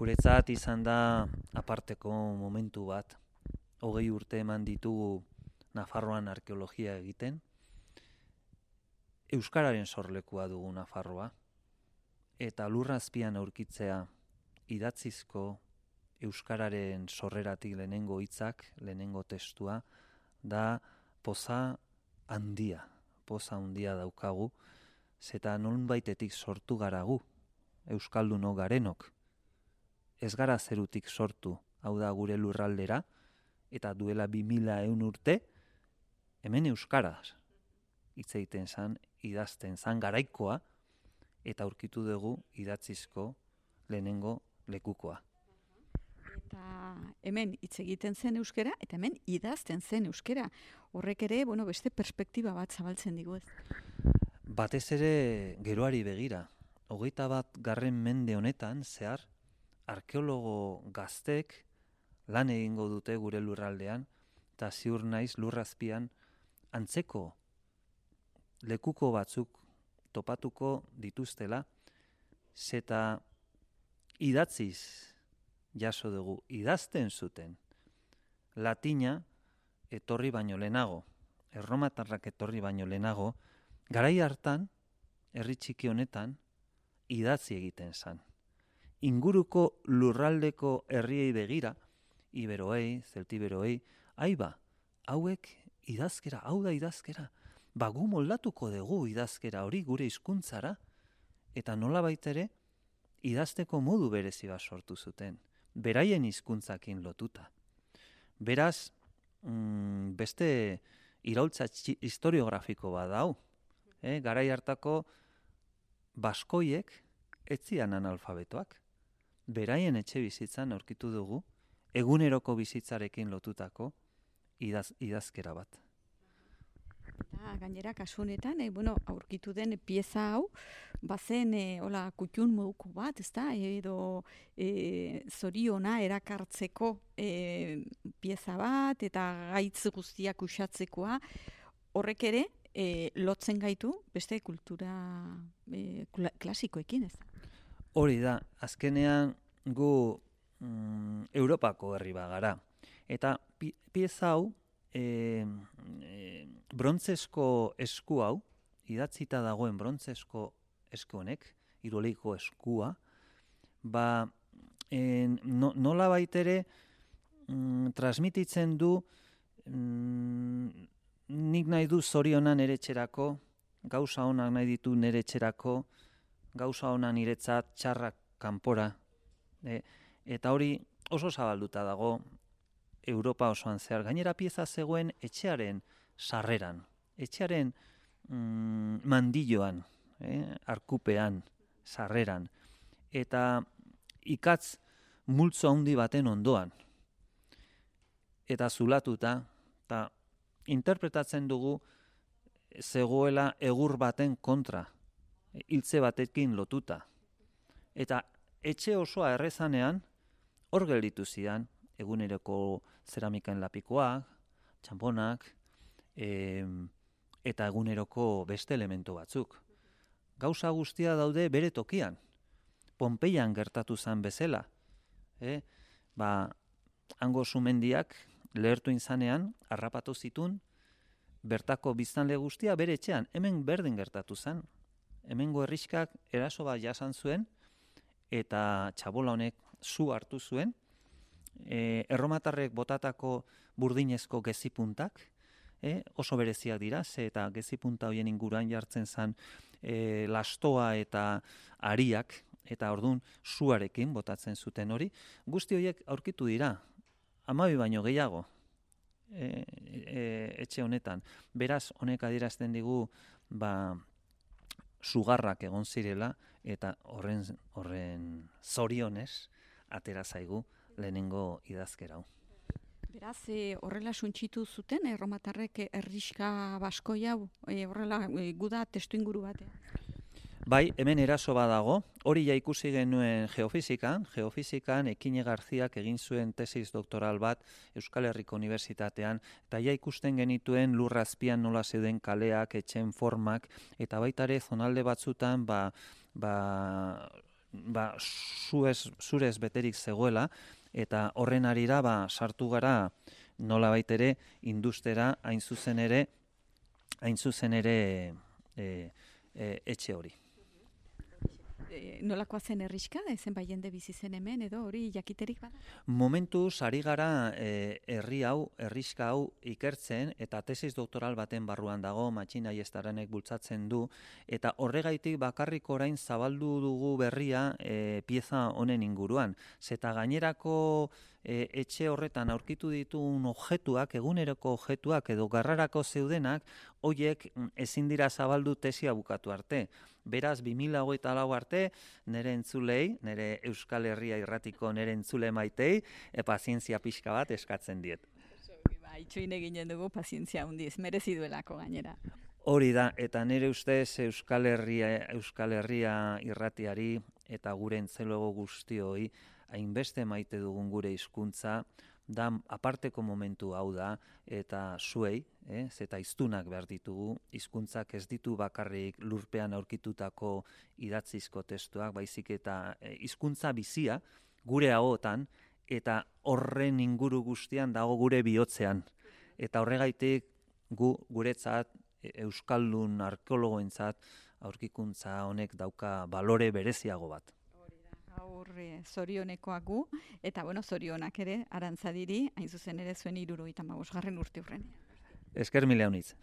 Guretzat izan da aparteko momentu bat. 20 urte eman ditugu Nafarroan arkeologia egiten. Euskararen sorlekua dugu Nafarroa. Eta lurrazpian aurkitzea idatzizko euskararen sorreratik lehenengo hitzak, lehenengo testua, da poza handia daukagu, zeta nonbaitetik sortu garagu, euskalduno garenok. Ez gara zerutik sortu, hau da gure lurraldera, eta duela 2000 urte, hemen euskaraz hitz egiten zan, idazten zan garaikoa, eta aurkitu dugu idatzizko lehenengo lekukoa. Eta hemen hitz egiten zen euskera, eta hemen idazten zen euskera. Horrek ere, beste perspektiba bat zabaltzen digu ez. Batez ere geroari begira. 21. mende honetan, zehar, arkeologo gaztek lan egingo dute gure lurraldean, eta ziur naiz lurrazpian antzeko lekuko batzuk topatuko dituztela, zeta idatziz jaso dugu, idazten zuten. Latina etorri baino lehenago, erromatarrak etorri baino lehenago, garai hartan, herri txiki honetan, idatzi egiten zan. Inguruko lurraldeko herriei begira, iberoei, zeltiberoei, hauek idazkera, hau da idazkera, gu moldatuko dugu idazkera hori gure hizkuntzara, eta nolabait ere idazteko modu berezi bat sortu zuten, beraien hizkuntzakin lotuta. Beraz, beste iraultza historiografiko bat dau. Garai hartako baskoiek etzian analfabetoak. Beraien etxe bizitzan aurkitu dugu, eguneroko bizitzarekin lotutako idazkera bat. Eta gainera kasu honetan, aurkitu den pieza hau, bazen kutxun moduko bat, ezta? Edo zoriona erakartzeko pieza bat, eta gaitz guztiak usatzekoa, horrek ere lotzen gaitu beste kultura klasikoekin, ez? Hori da, azkenean gu Europako herri bagara. Eta pieza hau, brontzesko esku hau, idatzita dagoen brontzesko esku honek, iroleiko eskua, nola baitere transmititzen du nik nahi du zorionan nere etxerako, gauza onak nahi ditu nere etxerako, gauza onak niretzat txarrak kanpora. Eta hori oso zabalduta dago Europa osoan zehar. Gainera pieza zegoen etxearen sarreran, etxearen mandilloan, arkupean, sarreran, eta ikatz multzo handi baten ondoan. Eta zulatuta, eta interpretatzen dugu zegoela egur baten kontra, hiltze batekin lotuta. Eta etxe osoa errezanean, hor gelditu zidan, eguneroko zeramikaen lapikoak, txamponak, eta eguneroko beste elementu batzuk. Gauza guztia daude bere tokian. Pompeian gertatu zen bezala. Hango sumendiak lehertu inzanean, harrapatu zitun, bertako biztanle guztia bere etxean, hemen berdin gertatu zen. Hemengo herrixkak eraso bat jasan zuen, eta txabola honek zu hartu zuen, erromatarrek botatako burdinezko gezipuntak, oso bereziak dira, eta gezipunta horien inguruan jartzen zen lastoa eta ariak, eta ordun suarekin botatzen zuten hori. Guzti horiek aurkitu dira, 12 baino gehiago etxe honetan. Beraz, honek adierazten digu sugarrak egon zirela, eta horren zorionez atera zaigu lehenengo idazkera hau. Beraz, horrela suntsitu zuten, erromatarrek herrixka baskoi hau, horrela guda testu inguru batean. Bai, hemen eraso badago, hori ja ikusi genuen geofizikan Ekine Garziak egin zuen tesis doktoral bat Euskal Herriko Unibertsitatean, eta ja ikusten genituen lurrazpian nola zeuden kaleak, etxen formak, eta baita ere zonalde batzutan zurez beterik zegoela, eta horren arira sartu gara nolabait ere industera hain zuzen ere etxe hori. Nolakoa zen herriska, zenbait jende bizi zen hemen, edo hori jakiterik bada? Momentuz ari gara herriska hau ikertzen, eta tesis doktoral baten barruan dago, Matxin Aiestaranek bultzatzen du, eta horregaitik bakarrik orain zabaldu dugu berria pieza honen inguruan. Zeta gainerako etxe horretan aurkitu ditugun objektuak, eguneroko objektuak edo garrarako zeudenak, hoiek ezin dira zabaldu tesia bukatu arte. Beraz, 2024 arte, nire entzulei, nire Euskal Herria irratiko nire entzule maitei, pazientzia pixka bat eskatzen diet. Itxoin eginen dugu pazientzia handiz, merezi duelako gainera. Hori da, eta nire ustez Euskal Herria irratiari eta gure entzulego guztioi hainbeste maite dugun gure hizkuntza, da aparteko momentu hau da, eta zuei, zeta hiztunak behar ditugu, hizkuntzak ez ditu bakarrik lurpean aurkitutako idatzizko testuak, baizik eta hizkuntza bizia gure ahotan, eta horren inguru guztian dago gure bihotzean. Eta horregaitik guretzat, euskaldun arkeologoentzat, aurkikuntza honek dauka balore bereziago bat. Gaur zorionekoak gu, eta zorionak ere Arantzadiri, hain zuzen ere zuen 75. urte hurren. Esker mila honitz.